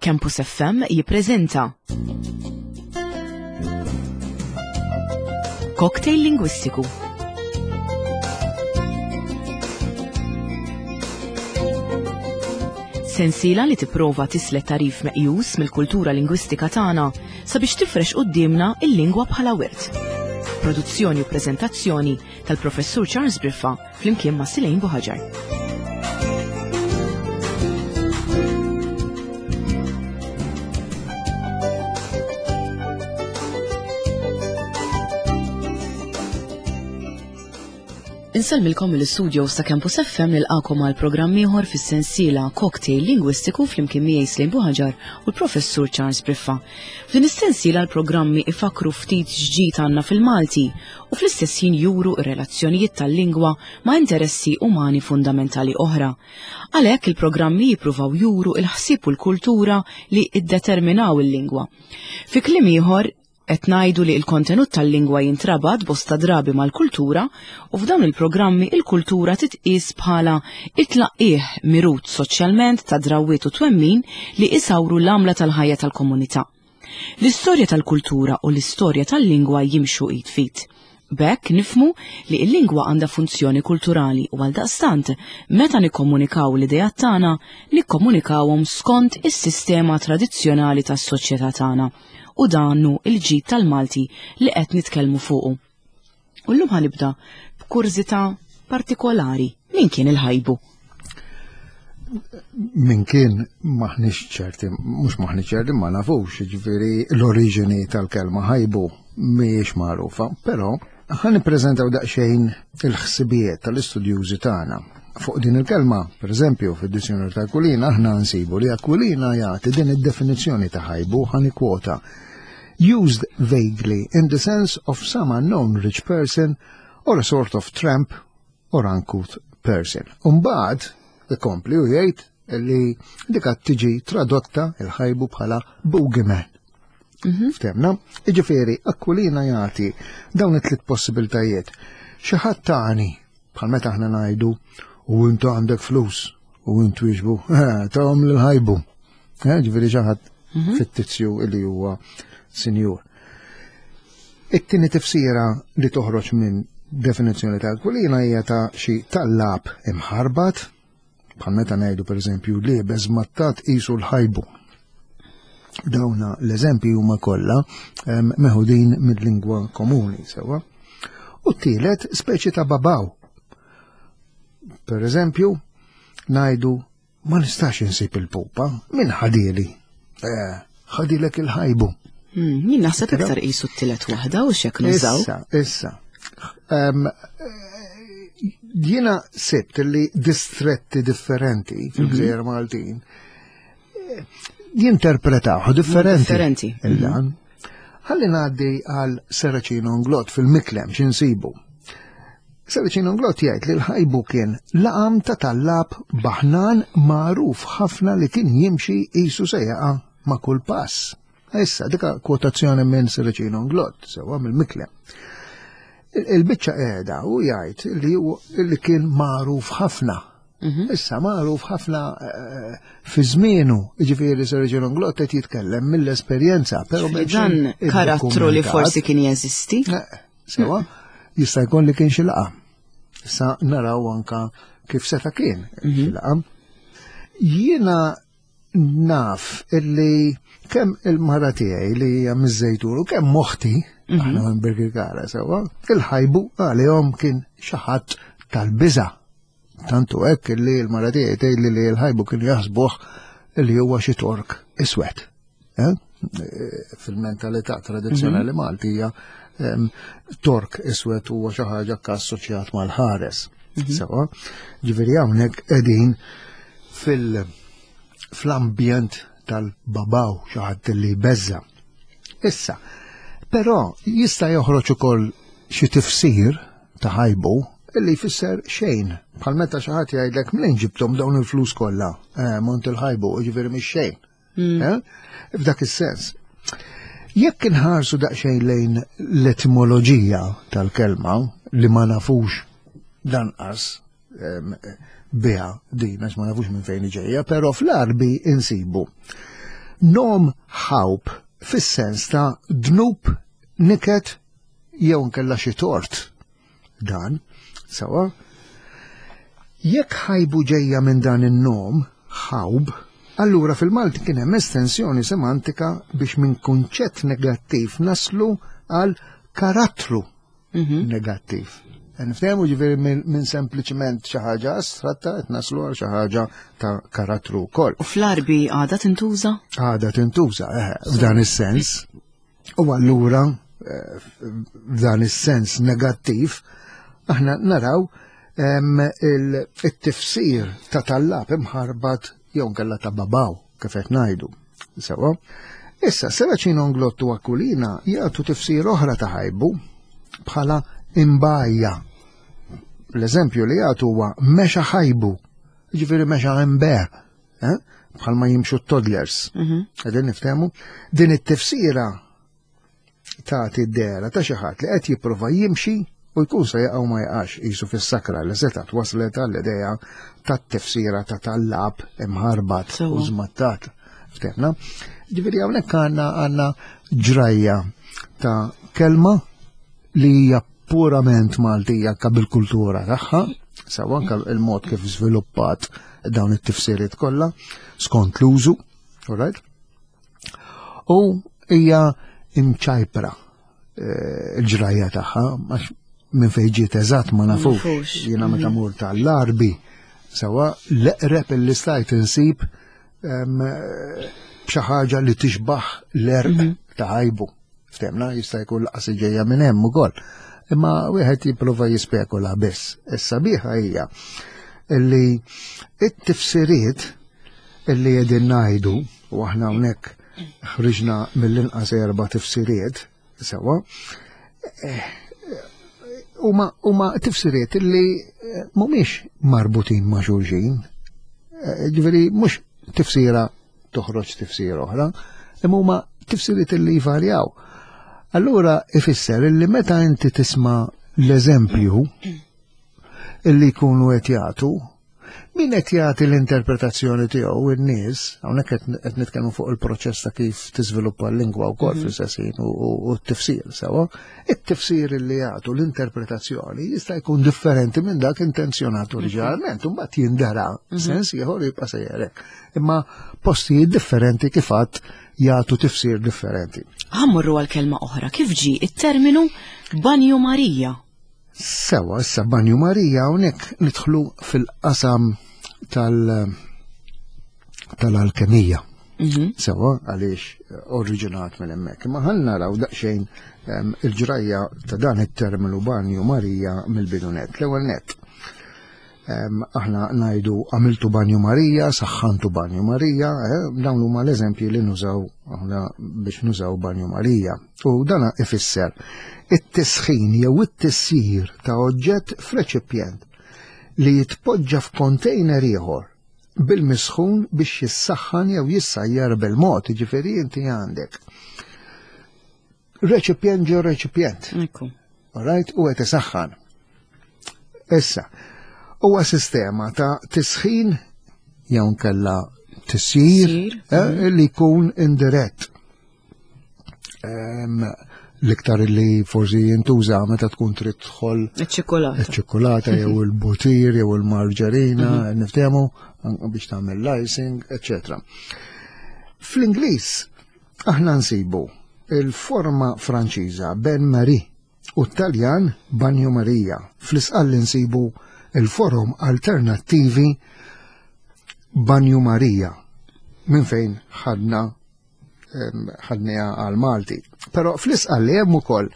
Campus FM jippreżenta Cocktail Lingwistiku. Sensiela li tipprova tislet tarif meqjus mill-kultura lingwistika tagħna sabiex tifrex quddiemna il-lingwa bħala wirt. Produzzjoni u preżentazzjoni tal-Professur Charles Briffa flimkien ma' Silejn Buħaġar. Insellmilkom mill-istudios ta' Campus FM nilqakom għal programm ieħor fis-sensiela Cocktail Lingwistiku flimkien miegħi Slejn Buħaġar u l-Professur Charles Briffa. F'din is-sensiela l-programmi ifakru ftit x'ġid għandna fil-Malti u fl-istess ħin juru r-relazzjonijiet tal-lingwa ma' interessi umani fundamentali oħra. Għalhekk il-programmi jippruvaw juru l-ħsieb u l-kultura li ddeterminaw il-lingwa. Fi kliem ieħor, qed ngħidu li l-kontenut tal-lingwa jintrabat bosta drabi mal-kultura u f'dawn il-programmi il-kultura titqies bħala it-tlaqqigħ mirut soċjalment ta' drawwiet u twemmin li isawru l-għamla tal-ħajja tal-komunità. L-istorja tal-kultura u l-istorja tal-lingwa jimxu id f'id. B'hekk nifhmu li l-lingwa għandha funzjoni kulturali u għaldaqstant meta nikkomunikaw l-ideat tagħna, nikkomunikawhom skont is-sistema tradizzjonali tas-soċjetà tagħna u dan hu l-ġid tal-Malti li qed nitkellmu fuqu. U llum ħanibda b'kurżità partikolari. Min kien il-ħajbu? Min kien maħniex ċerti, mhux maħniex ċerti ma nafux, ġifieri l-oriġini tal-kelma ħajbu mhijiex magħrufa, però ħa nippreżentaw daqsxejn il-ħsibijiet tal-istudjużi tagħna. Fuq din il-kelma, per eżempju, fid-dizzjonarju ta' Aquilina aħna nsibu li Aquilina jagħti din id-definizzjoni ta' ħajbu ħa nikkwota. Used vaguely in the sense of some unknown rich person or a sort of tramp or uncouth person. Umbagħad ikompli u jgħid li dik tiġi tradotta il-ħajbu bħala boogeyman. Mhm. Ftemna, iġifieri Aquilina jagħti dawn it-tliet possibiltajiet. Xi ħadd tani bħal meta aħna ngħidu u intu għandek flus u intu jiġbu, eh, tahom l-ħajbu. Eh, ġifieri xi ħadd mhm. fittizju li huwa sinjur. It-tieni tifsira li toħroġ minn definizzjoni ta' Aquilina hija ta' xi tallab imħarbat, bħal meta ngħidu pereżempju liebes mattat qisu l-ħajbu. Dawna l-eżempji huma kollha meħudin mill-lingwa komuni sewwa. U t-tielet speċi ta' babaw. Per eżempju, ngħidu Ma nistax insib il-pupa, min ħadili? Eh, ħadilek il-ħajbu. Hmm, jien naħseb iktar qisu t-tielet waħda u xek nużaw. Issa, issa. Eh, jiena sibt li distretti differenti fil-Gżejjer mhm. Maltin eh, jinterpretaw differenti. Differenti. Il-dan. Mhm. Ħalli ngħaddi għal Seracino Nglot fil-Miklem x'insibu. Seracino Nglot jgħid li l-ħajbu kien laqam ta' tallab baħnan magħruf ħafna li kien jimxi qisu se jaqa' ma' kull pass. Issa, dika kwotazzjoni minn Seracino Nglot, sewwa mill-Miklem. Il-biċċa qiegħda u jgħid li kien magħruf ħafna Mhm. Issa magħruf ħafna eh, fi żmienu, jiġifieri Sir John Glott qed jitkellem mill-esperjenza, però dan karattru li forsi kien jeżisti. Eh, sewa, jista' jkun li kien xi laqa. Issa naraw anka kif seta' kien xi mhm. laqa. Jiena naf illi kemm il-mara tiegħi li hija miż-Żejtun u kemm moħti, mhm. aħna minn Birkirkara sewwa, il-ħajbu għalihom kien xi ħadd tal-biża' Tantu hekk li l-mara tiegħi tgħidli li l-ħajbu kienu jaħsbuh li huwa xi tork iswed. Eh? Fil-mentalità tradizzjonali mhm. Maltija tork iswed huwa xi ħaġa assoċjat mal-ħares. Mhm. Sewa, ġifieri hawnhekk qegħdin fil- fl-ambjent tal-babaw xi ħadd li jbeżża. Issa, però jista' joħroġ ukoll xi tifsir ta' ħajbu illi jfisser xejn. Bħal meta xi ħadd jgħidlek minn ġibthom dawn il-flus kollha, eh, mont il-ħajbu, jiġifieri mhix xejn. Mm. Eh? F'dak is-sens. Jekk inħarsu daqsxejn lejn l-etimoloġija tal-kelma li ma nafux lanqas biha din għax ma nafux minn fejn ġejja, però fl-Arbi insibu. Nom ħawb fis-sens ta' dnub, niket jew nkella xi tort. Dan, sawa, jekk ħajbu ġejja minn dan in-nom, ħawb, allura fil-Malti kien hemm estensjoni semantika biex minn kunċett negattiv naslu għal karattru mhm. negattiv. Niftehmu ġifieri minn sempliċement xi ħaġa astratta qed naslu għal xi ħaġa ta' karattru wkoll. U fl-Arbi għadha tintuża? Għadha tintuża, eh, f'dan is-sens. U allura eh, f'dan is-sens negattiv aħna naraw il-tifsir ta' tallab imħarbat jew nkella ta' babaw kif qed ngħidu. Sewa. Issa, Seracino Nglottu Aquilina jagħtu tifsir oħra ta' ħajbu bħala imbajja. L-eżempju li jagħtu huwa mexa ħajbu, ġifieri mexa imbe, eh? bħalma jimxu t-toddlers. Mhm. Qegħdin niftehmu din it-tifsira tagħti d-dehra ta' xi ħadd li qed jipprova jimxi u jkun se jaqgħu ma jaqax qisu fis-sakra li setgħet waslet għall-idea tat-tifsira ta' tallab imħarbat u żmattat. Ftehna? Ġifieri hawnhekk għandna għandna ġrajja ta' kelma li hija purament Maltija anke bil-kultura tagħha, sewa anke il-mod kif żviluppat dawn it-tifsiriet kollha skont l-użu, all right? U hija imċajpra eh, il-ġrajja tagħha, għax minn fejn ġiet eżatt ma nafux. Jiena meta mhm. mur tal-Larbi, sewa l-eqreb illi stajt insib b'xi ħaġa li tixbaħ l-erq mhm. ta' ħajbu. Ftemna jista' jkun laqas ġejja minn hemm ukoll. Imma wieħed jipprova jispekula biss. Is-sabiħa hija li it-tifsiriet illi qegħdin ngħidu u aħna hawnhekk ħriġna mill-inqas erba' tifsiriet sewwa eh, huma tifsiriet illi eh, mhumiex marbutin ma' xulxin. Eh, ġifieri mhux tifsira toħroġ tifsira oħra, imma huma tifsiriet illi jvarjaw. Allura ifisser illi meta inti tisma' l-eżempju illi jkunu qed jagħtu Min qed jagħti l-interpretazzjoni tiegħu in-nies, hawnhekk qed nitkellmu fuq il-proċess ta' kif tiżviluppa l-lingwa wkoll mhm. fl-istess u t-tifsir sewa, it-tifsir li jagħtu l-interpretazzjoni jista' jkun differenti minn dak intenzjonat mhm. oriġinalment, u mbagħad jindara mhm. sens ieħor jibqa' sejjerek. Imma postijiet differenti kif għadd jagħtu tifsir differenti. Ħammurru għal kelma oħra, kif ġie it-terminu Banju Marija? Sewa, issa Banju Marija hawnhekk nidħlu fil-qasam tal- tal-alkemija. Mhm. Sewa, għaliex eh, oriġinat minn hemmhekk. Imma ħan naraw daqsxejn ehm, il-ġrajja ta' dan it-terminu Banju Marija mill-bidunet. L-ewwel net. Aħna ngħidu għamiltu Banju Marija, saħħantu Banju Marija, eh, dawn huma l-eżempji li nużaw aħna biex nużaw Banju Marija. U dana ifisser it-tisħin jew it-tissir ta' oġġett f'reċipjent li jitpoġġa f'kontejner ieħor bil-misħun biex jissaħħan jew jissajjar bil-mod, ġifieri inti għandek reċipjent ġo reċipjent. Ekku. Alright, u qed isaħħan. Issa, huwa sistema ta' tisħin jew nkella tisjir eh, mhm. li jkun indirett. L-iktar li forsi jintuża meta tkun trid tħol iċ-ċikolata. Iċ-ċikolata jew il-butir jew il-marġarina, mhm. niftehmu biex tagħmel l-icing, eċċetera. Fl-Ingliż aħna nsibu il-forma Franċiża Ben Marie u t-Taljan Bagno Maria. Fl-Isqalli nsibu il-forom alternattivi Bagno Maria minn fejn ħadna ħadniha għal Malti. Però fl-Isqalli hemm ukoll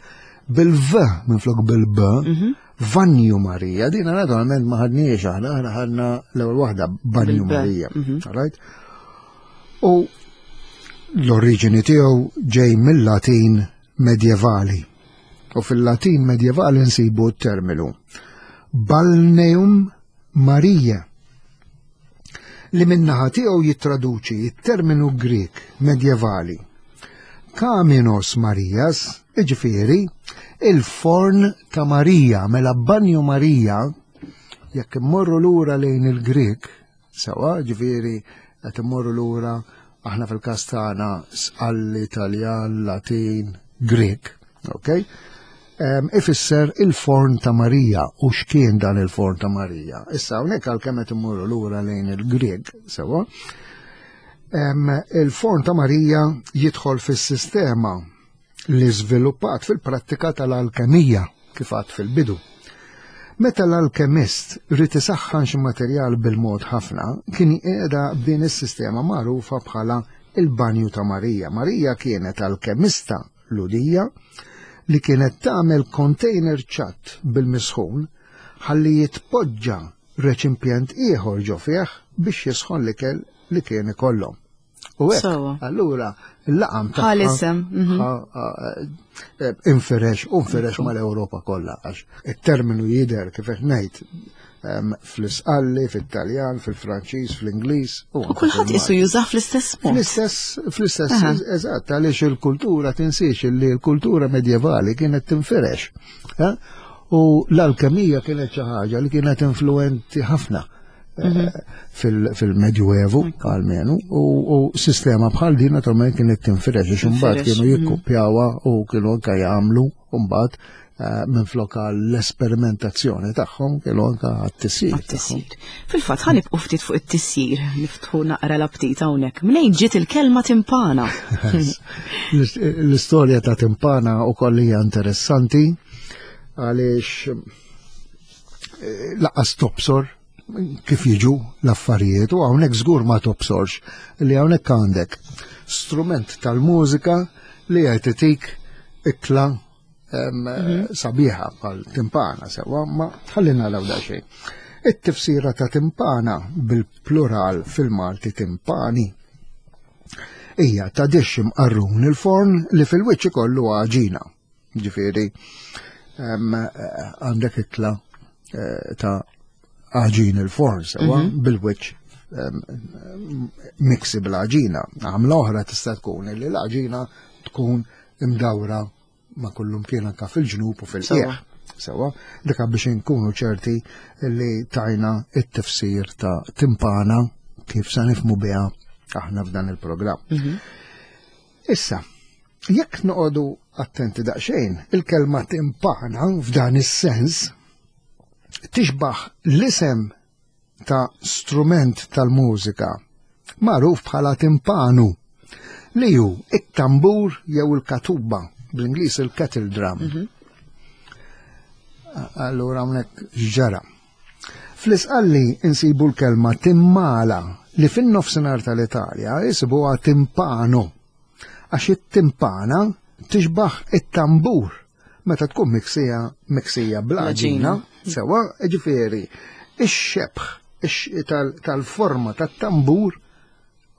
bil-V minflok bil-B, mhm. Vanju Marija, dina naturalment ma ħadniex aħna, aħna ħadna l-ewwel waħda Banju Marija. Mhm. Right? U l-oriġini tiegħu ġej mill-Latin medjevali. U fil-Latin medjevali nsibu t-terminu Balneum Maria li minnaħa tiegħu jittraduċi t-terminu Grieg medjevali Kaminos Marias, iġifieri il-forn ta' Marija, mela Banju Marija, jekk immorru lura lejn il-Grieg, Sewa, ġifieri qed immorru lura aħna fil-każ tagħna Sqalli, Taljan, Latin, Grek, ok? Ifisser il-forn ta' Marija u x'kien dan il-forn ta' Marija. Issa hawnhekk għalkemm qed immorru lura lejn il-Grek, sewa. Il-forn ta' Marija jidħol fis-sistema li żviluppat fil-prattika tal-alkemija kif għad fil-bidu. Meta l-alkemist ried isaħħan xi materjal bil-mod ħafna, kien qiegħda b'din is-sistema magħrufa bħala il-banju ta' Marija. Marija kienet alkemista Lhudija li kienet tagħmel container ċatt bil-misħun ħalli jitpoġġa reċimpjent ieħor ġo fih biex jisħon l-ikel li kien ikollhom. U hekk, allura l-laqam ta' Ħalisem. Mhm. Eh, inferex, u nferex mal-Ewropa kollha għax it-terminu jidher kif qed ngħid fl-Isqalli, fit-Taljan, fil-Franċiż, fl-Ingliż. U kulħadd isu jużah fl-istess mod. Fl-istess, fl-istess, eżatt, għaliex il-kultura tinsiex li l-kultura medjevali kienet tinfirex. Eh? U l-alkemija kienet xi ħaġa li kienet influenti ħafna eh, mhm. fil-Medjuevu għalmenu u sistema bħal din naturalment kienet tinfirex għax imbagħad kienu mhm. jikkupjawha u kienu anke jagħmlu mbagħad eh, minn flok l-esperimentazzjoni tagħhom kienu anke għat-tisjir. Għat-tisjir. Fil-fatt ħa nibqgħu ftit fuq it-tisjir, niftħu naqra l-aptit hawnhekk. Mnejn ġiet il-kelma timpana? L-istorja ta' timpana wkoll hija interessanti għaliex eh, laqas tobsor kif jiġu l-affarijiet u hawnhekk żgur ma tobsorx li hawnhekk għandek strument tal-mużika li qed itik ikla mhm. sabiħa bħal timpana sewa ma tħallina law daqsxejn. It-tifsira ta' timpana bil-plural fil-Malti timpani hija ta' dixx imqarrun il-forn li fil-wiċċ ikollu għaġina. Ġifieri għandek ikla eh, ta' għaġin il-forn sewa mhm. bil-wiċċ miksi bl-għaġina. Għamla oħra tista' tkun li l-għaġina tkun imdawra ma' kullum kien anka fil-ġnub u fil-qiegħ. Sewa, dika biex inkunu ċerti li tajna it-tifsir ta' timpana kif sa nifmu biha aħna f'dan il-programm. Mhm. Issa, jekk noqogħdu attenti daqsxejn, il-kelma timpana f'dan is-sens tixbaħ l-isem ta' strument tal-mużika magħruf bħala timpanu li hu it-tambur jew il-katuba bl-Ingliż il-kettle drum. Mhm. Allura hawnhekk x'ġara. Fl-Isqalli insibu l-kelma timmala li fin-nofsinhar tal-Italja jisibuha timpano għax it-timpana tixbaħ it-tambur meta tkun miksija miksija bl-għaġina, sewa ġifieri ix-xebħ tal-forma tat-tambur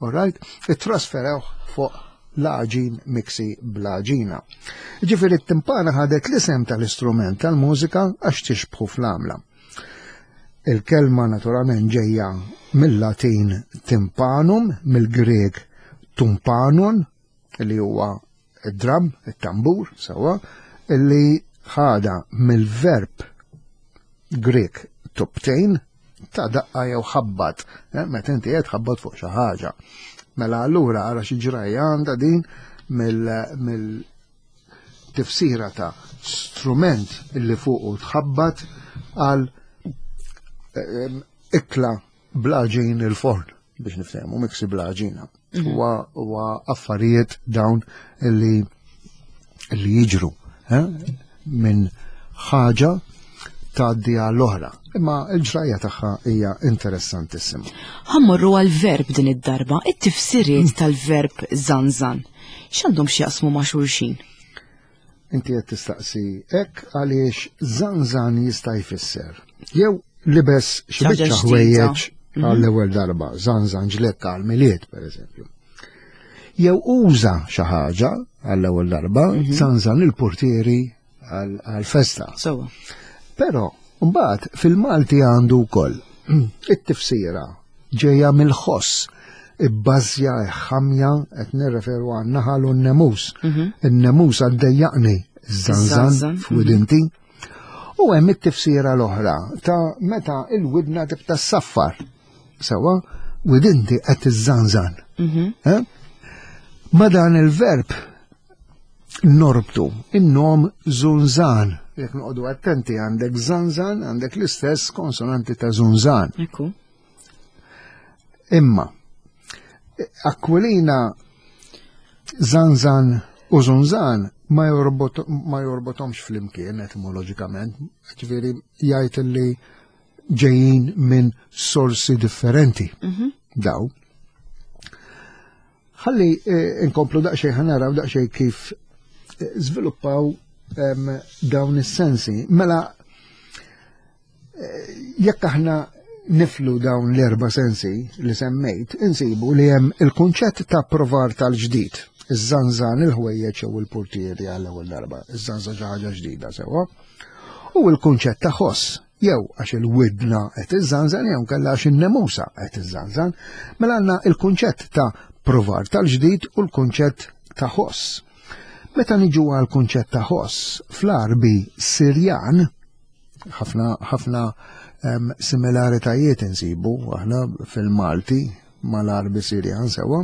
Alright? Ittrasferewh fuq l-għaġin miksi bl-għaġina. Ġifieri t-timpana ħadet l-isem tal-istrument tal-mużika għax tixbħu fl-għamla. Il-kelma naturalment ġejja mill-Latin timpanum, mill-Grek tumpanon, li huwa id-drum, it-tambur, sewa, li ħada mill-verb Grek tubtejn ta' daqqa jew ħabbat, eh, meta inti qed ħabbat fuq xi ħaġa. Mela allura ara xi ġrajja għandha din mill tifsira ta' strument li fuqu tħabbat għal eh, ikla bl-għaġin il-forn biex niftehmu miksi bl-għaġina. Mhm. Huwa affarijiet dawn li li jiġru eh, minn ħaġa tgħaddi għall-oħra. Imma l-ġrajja tagħha hija interessantissima. Ħammorru għal-verb din id-darba, it-tifsiriet mm. tal-verb zanzan. X'għandhom x'jaqsmu ma' xulxin? Inti qed tistaqsi hekk għaliex zanzan jista' jfisser. Jew libes xi biċċa ħwejjeġ mhm. għall-ewwel darba, zanzan ġlekka għall-milied pereżempju. Jew uża xi ħaġa għall-ewwel darba, mhm. zanzan il-portieri għall-festa. Però mbagħad fil-Malti għandu wkoll it-tifsira ġejja mill-ħoss ibbażja ħamja qed nirreferu għan naħal u n-nemus. Mhm. In-nemus għaddejjaqni żanżan f'widinti. Mhm. U hemm it-tifsira l-oħra ta' meta il-widna tibta saffar. Sewa, Widinti qed iżżanżan. Eh? Ma dan il-verb norbtu in-nom zunzan. Jekk noqogħdu attenti għandek zanzan, għandek l-istess konsonanti ta' zunzan. Ekku. Imma, Aquilina zanzan u zunzan ma ma jorbotomx flimkien etimoloġikament, ġifieri jgħid li ġejjin minn sorsi differenti. Daw. Ħalli eh, nkomplu daqsxejn ħa naraw daqsxejn kif eh, żviluppaw dawn is-sensi. Mela eh, jekk aħna niflu dawn l-erba' sensi li semmejt, insibu li hemm il-kunċett ta' provar tal-ġdid. Iż-żanżan il-ħwejjeġ jew il-portieri għall-ewwel darba, iż-żanżan xi ħaġa ġdida sewwa. U l-kunċett ta' ħoss, jew għax il-widna qed iżżanżan jew kellha għax in-nemusa qed iżżanżan. Mela għandna il-kunċett ta' provar tal-ġdid u l-kunċett ta' ħoss. Meta niġu għal kunċett ta' ħoss fl-Arbi Sirjan, ħafna ħafna similaritajiet insibu aħna fil-Malti mal-Arbi Sirjan sewwa.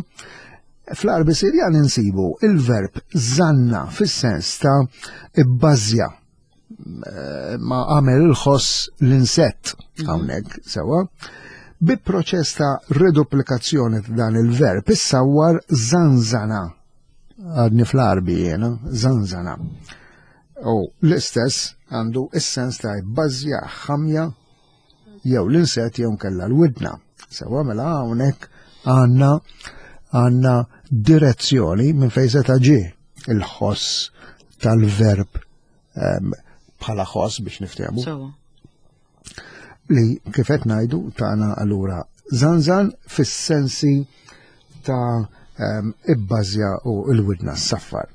Fl-Arbi Sirjan insibu il-verb zanna fis-sens ta' ibbażja ma għamel il-ħoss l-insett hawnhekk sewwa. Bi proċess ta' reduplikazzjoni ta' dan il-verb issawwar zanzana. Għadni fl-Arbi jiena, zanzana. U l-istess għandu is-sens ta' jbażja ħamja jew l-insett jew nkella l-widna. Sewwa mela hawnhekk għandna għandna direzzjoni minn fejn seta' ġie il-ħoss tal-verb bħala ħoss biex niftehmu. Li kif qed ngħidu tagħna allura zanzan fis-sensi ta' ibbażja u l-widna s-saffar.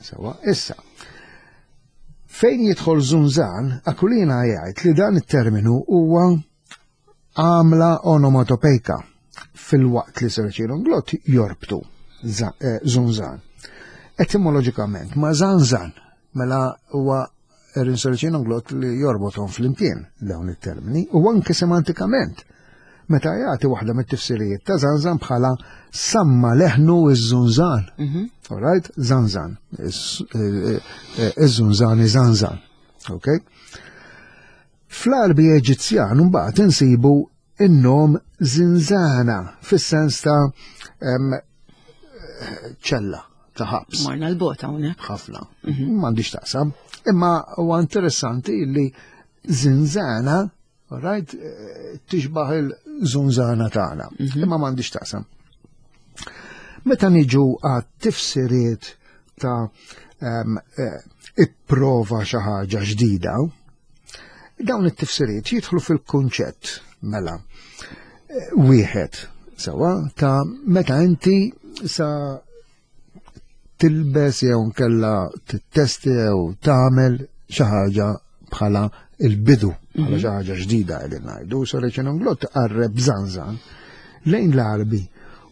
Sewa, issa. Fejn jidħol zunzan, Aquilina jgħid li dan it-terminu huwa għamla onomatopejka filwaqt li Serċin Glott jorbtu eh, zunzan. Etimoloġikament ma zanzan mela huwa Erin Serċin Glott li jorbothom flimkien dawn it-termini u anke semantikament meta jagħti waħda mit-tifsirijiet ta' zanzan bħala samma leħnu iż-żunżan. Mhm. All right? Zanzan. Eh, eh, iż-żunżan iżanżan. Okay? Fl-Għarbi Eġizzjan mbagħad insibu in-nom zinzana fis-sens ta' ċella ta' ħabs. Morna l-bot hawnhekk. Ħafna. Mhm. M'għandix taqsam. Imma huwa interessanti li zinzana, right, eh, tixbaħ il-zunzana tagħna. Mhm. Imma m'għandix taqsam. Meta niġu għat tifsiriet ta' eh, ipprova xi ħaġa ġdida, dawn it-tifsiriet jidħlu fil-kunċett mela eh, wieħed sewa ta' meta inti sa tilbes jew nkella tittesti jew tagħmel xi ħaġa bħala il-bidu, bħala mhm. xi ħaġa ġdida qegħdin ngħidu, so reċen glott qarreb zanzan lejn l-Arbi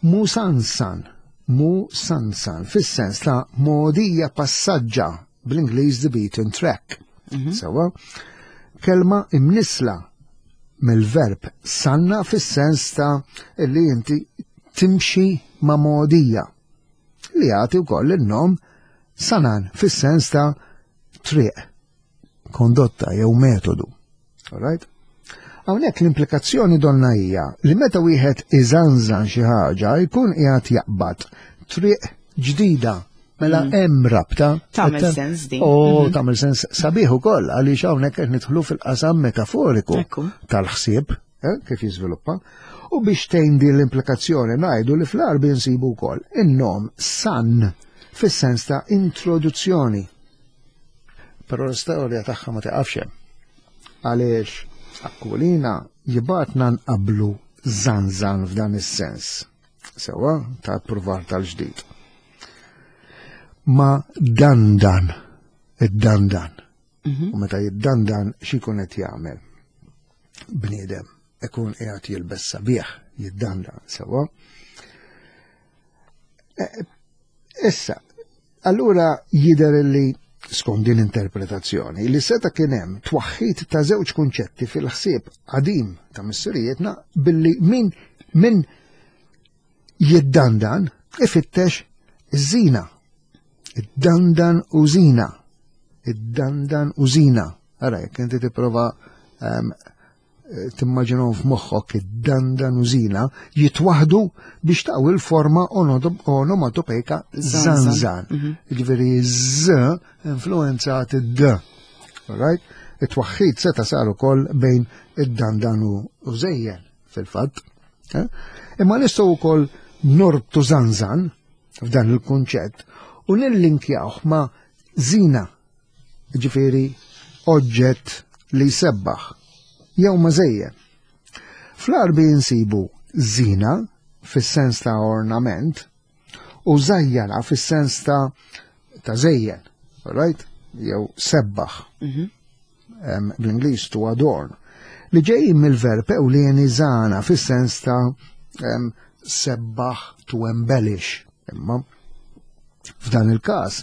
musansan Musansan, fis-sens ta' mogħdija passaġġa, bl-Ingliż the beaten track. Mhm. Sewa, kelma imnisla mill-verb sanna fis-sens ta' li inti timxi ma' mogħdija li jagħti wkoll in-nom sanan fis-sens ta' triq kondotta jew metodu. Alright? Hawnhekk l-implikazzjoni donna hija li meta wieħed iżanżan xi ħaġa jkun qiegħed jaqbad triq ġdida Mela mm. hemm rabta. Tagħmel sens din. U mhm. tagħmel sens sabiħ ukoll għaliex hawnhekk qed nidħlu fil-qasam metaforiku tal-ħsieb eh, kif jiżviluppa. U biex tgħin din l-implikazzjoni ngħidu li fl-Arbi nsibu wkoll in-nom san fis-sens ta' introduzzjoni. Però l-istorja tagħha ma tiqafx hemm. Għaliex Aquilina jibatna nqablu zanzan f'dan is-sens. Sewa ta' pruvar tal-ġdid. Ma dandan, id-dandan. Mhm. U meta jiddandan x'ikun qed jagħmel? Bniedem ikun qiegħed jilbes sabiħ, jiddandan sewa. Eh, issa, allura jidher li skont din interpretazzjoni li seta kien hemm twaħħid ta' żewġ kunċetti fil-ħsieb qadim ta' missirijietna billi min min Jiddandan ifittex iż-żina. Id-dandan u żina. Id-dandan u żina. Ara, jekk inti tipprova ehm, timmaġinhom f'moħħok id-dandan u żina jitwaħdu biex taw il-forma onomatopejka zanzan. Mhm. Ġifieri z influenzat id-d. Right? It-twaħħid seta' sar ukoll bejn id-dandan u żejjen fil-fatt. Eh? Imma nistgħu wkoll norbtu zanzan f'dan il-kunċett u nillinkjawh ma' zina, ġifieri oġġett li jsebbaħ, jew ma' żejjen. Fl-Għarbi nsibu zina fis-sens ta' ornament u żajjana fis-sens ta' ta' żejjen, right? Jew sebbaħ. Mhm. Bl-Ingliż to adorn. Li ġejjin mill-verb ewlieni żana fis-sens ta' sebbaħ to embellish. Imma f'dan il-każ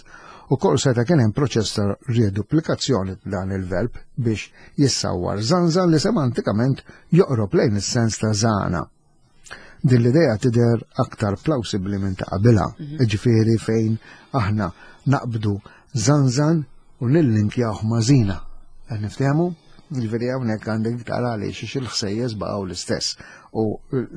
ukoll seta' kien hemm proċess ta' reduplikazzjoni dan il-verb biex jissawwar żanżan li semantikament joqrob lejn is-sens ta' żana. Din l-idea tidher aktar plawsibbli minn ta' qabilha, mhm. ġifieri fejn aħna naqbdu żanżan u nillinkjawh ma' żina. Qed niftehmu? Ġifieri hawnhekk għandek iktar għaliex għax il-ħsejjes baqgħu l-istess u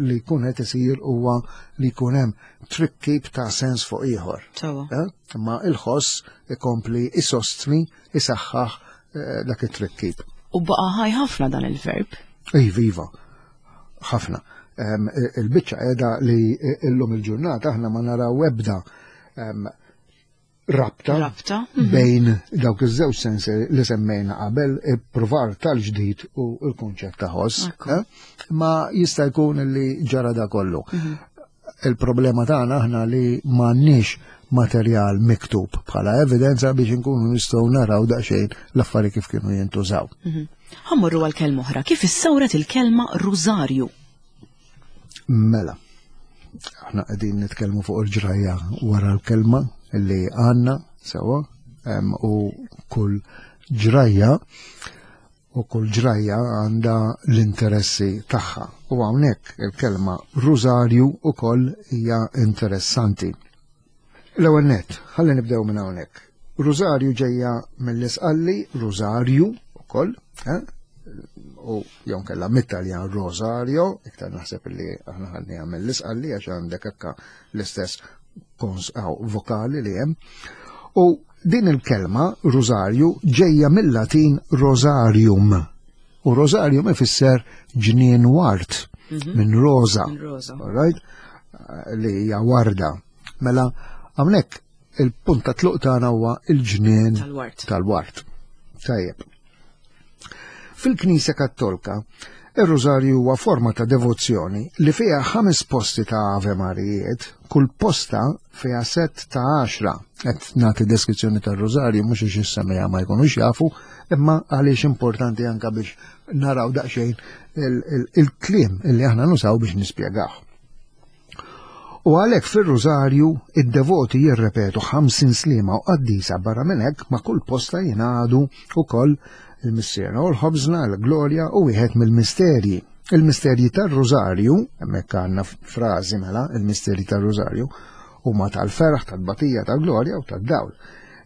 li jkun qed isir huwa li jkun hemm trikkib ta' sens fuq ieħor. Eh? Imma il-ħoss ikompli isostni, isaħħaħ eh, dak it-trikkib. U baqa' ħaj ħafna dan il-verb. Iva, iva. ħafna. Il-biċċa qiegħda li illum il-ġurnata aħna ma naraw ebda rabta, rabta. Mhm. bejn dawk iż-żewġ sensi li semmejna qabel ippruvar tal-ġdid u l-kunċett ta' ħoss. Eh? Ma jista' jkun li ġara da kollu. Mhm. Il-problema tagħna aħna li m'għandniex materjal miktub bħala evidenza biex inkunu nistgħu naraw daqsxejn l-affari kif kienu jintużaw. Mhm. Ħammorru għal kelma oħra, kif issawret il-kelma rużarju? Mela, aħna qegħdin nitkellmu fuq il-ġrajja wara l-kelma li għandna sewa u kull ġrajja u kull ġrajja għandha l-interessi tagħha. U hawnhekk il-kelma rużarju ukoll hija interessanti. L-ewwel nett, ħalli nibdew minn hawnhekk. Rużarju ġejja mill-isqalli rużarju ukoll, eh? u jew kella mit-Taljan Rosario, iktar naħseb li aħna ħadniha mill-isqalli għax għandek hekka l-istess vokali li hemm. U Din il-kelma, rużarju, ġejja mil-Latin rosarium. U rosarium ifisser ġnien ward, mhm. minn rosa. Right? Li hija warda. Mela, hawnhekk il-punt ta' tluq tagħna huwa il-ġnien tal-ward. Tajjeb. Fil-Knisja Kattolka, ir-Rużarju huwa forma ta' devozzjoni li fiha ħames posti ta' Ave Marijiet, kull posta fiha sett ta' għaxra. Qed nagħti deskrizzjoni tar-Rużarju mhux għax is-semmiegħa ma jkunux jafu, imma għaliex importanti anke biex naraw daqsxejn il-kliem illi aħna nusaw biex nispjegaw. U għalhekk fir-Rużarju id-devoti jirrepetu 50 sliema u qaddisa barra minn hekk ma' kull posta jingħadu wkoll il-Missierna u l-Ħobżna, l-Glorja u wieħed mill-misterji. Il-misterji tar-Rużarju, hemmhekk għandna frażi mela, il-misterji tar-Rużarju, huma tal-ferħ, tal-batija, tal-glorja u tad-dawl.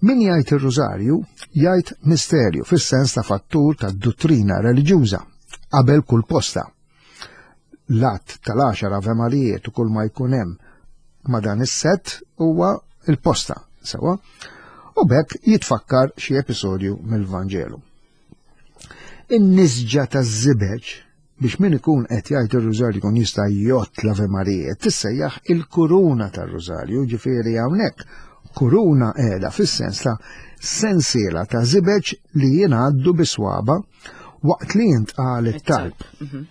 Min jgħid ir-Rużarju jgħid misterju fis-sens ta' fattur tad-duttrina reliġjuża qabel kull posta. L-att tal-għaxar Ave Marijiet u kull ma jkun hemm ma' dan is-sett huwa il-posta, sewa, u bekk jitfakkar xi episodju mill-Vanġelu. In-nisġa taż-żibeġ biex min ikun qed jgħid ir-rużarju jkun jista' jgħodd l-Ave Marijiet tissejjaħ il-kuruna tar-rużarju, ġifieri hawnhekk kuruna qiegħda fis-sens ta' sensiela ta' żibeġ li jingħaddu bi swaba waqt li jintqal it-talb. Mhm.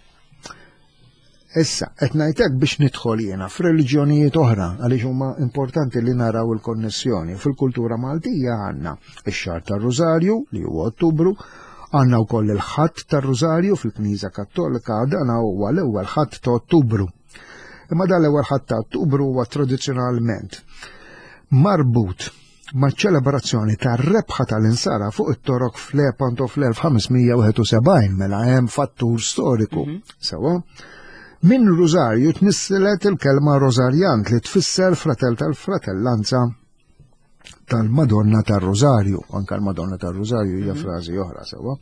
Issa, qed ngħidlek biex nidħol jiena f'reliġjonijiet oħra għaliex huma importanti li naraw il-konnessjoni. Fil-kultura Maltija għandna ix-xahar tar-Rużarju li huwa Ottubru, għandna wkoll il-ħadd tar-Rużarju fil-Knisja Kattolika dan huwa l-ewwel ħadd ta' Ottubru. Imma dan l-ewwel ħadd ta' Ottubru huwa tradizzjonalment marbut maċ-ċelebrazzjoni tar-rebħa tal-Insara fuq it-Torok f'Lepanto fl-1571 mela hemm fattur storiku. Mhm. Sewa. Minn Rużarju tnisselet il-kelma Rosarjant li tfisser fratell tal-fratellanza tal-Madonna tar-Rużarju, anka l-Madonna tar-Rużarju hija mhm. frażi oħra sewwa.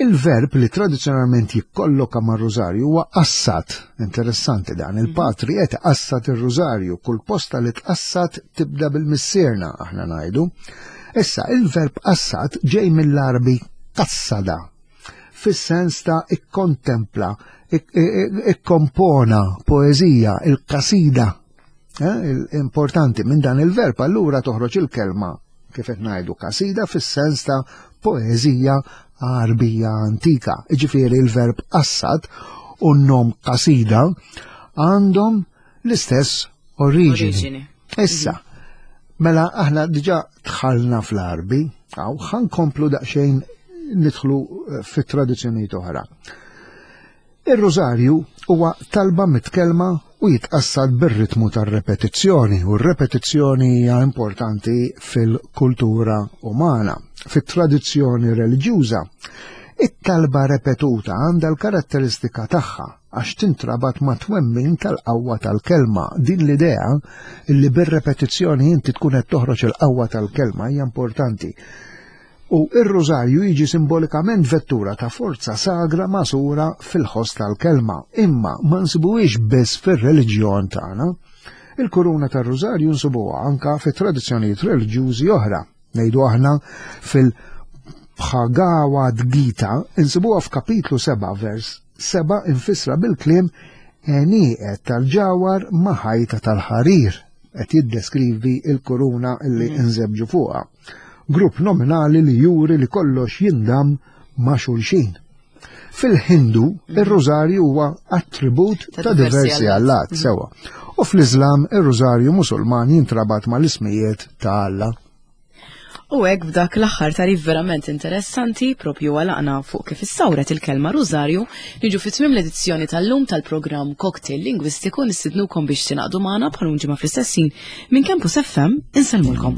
Il-verb li tradizzjonalment jikkolloka mar-rużarju huwa qassat. Interessanti dan, mhm. il-patri qed qassat ir-rużarju, kull posta li tqassat tibda bil-missierna aħna ngħidu. Issa, il-verb qassat ġej mill-Arbi qassada, fis-sens ta' ikkontempla, ikkompona poeżija, il-kasida. Eh, importanti minn dan il-verb allura toħroġ il-kelma kif qed ngħidu kasida fis-sens ta' poeżija Għarbija antika. Iġifieri il-verb qassad u n-nom kasida għandhom l-istess oriġini. Issa, mela aħna diġà dħalna fl-Għarbi, għaw ħankomplu daqsxejn nidħlu eh, fit-tradizzjonijiet oħra. Ir-Rużarju huwa talba mitkellma u jitqassad bir-ritmu tar-repetizzjoni u r-repetizzjoni hija importanti fil-kultura umana. Fit-tradizzjoni reliġjuża, it-talba repetuta għandha l-karatteristika tagħha għax tintrabat ma' twemmin tal-qawwa tal-kelma. Din l-idea li bir-repetizzjoni inti tkun qed toħroġ il-qawwa tal-kelma hija importanti. U r-Rużarju jiġi simbolikament vettura ta' forza sagra magħsura fil-ħoss tal-kelma, imma ma nsibuhiex biss fir-reliġjon tagħna. Il-kuruna tar-Rużarju nsibuha anka fi tradizzjonijiet reliġjużi oħra. Ngħidu aħna fil-Bhagavad Gita insibuha f'kapitlu 7 vers 7 infissra bil-kliem għenieqed tal-ġawhar ma' ħajta tal-ħarir qed jiddeskrivi l-kuruna li mm. nżebġu fuqha. Grupp nominali li juri li kollox jindamm ma' xulxin. Fil-Hindu, mm. ir-rużarju huwa attribut ta' diversi allat mm. sewa. U fl-Iżlam, ir-rużarju Musulman jintrabat mal-ismijiet ta' Alla. U hekk b'dak l-aħħar tarif verament interessanti propju għalaqna fuq kif issawret il-kelma Rużarju, niġu fi tmiem l-edizzjoni tal-lum tal-programm Cocktail Lingwistiku nistidnukom biex tingħaqdu magħna bħal ġimgħa fl-istess ħin minn Campus FM insellmulkom.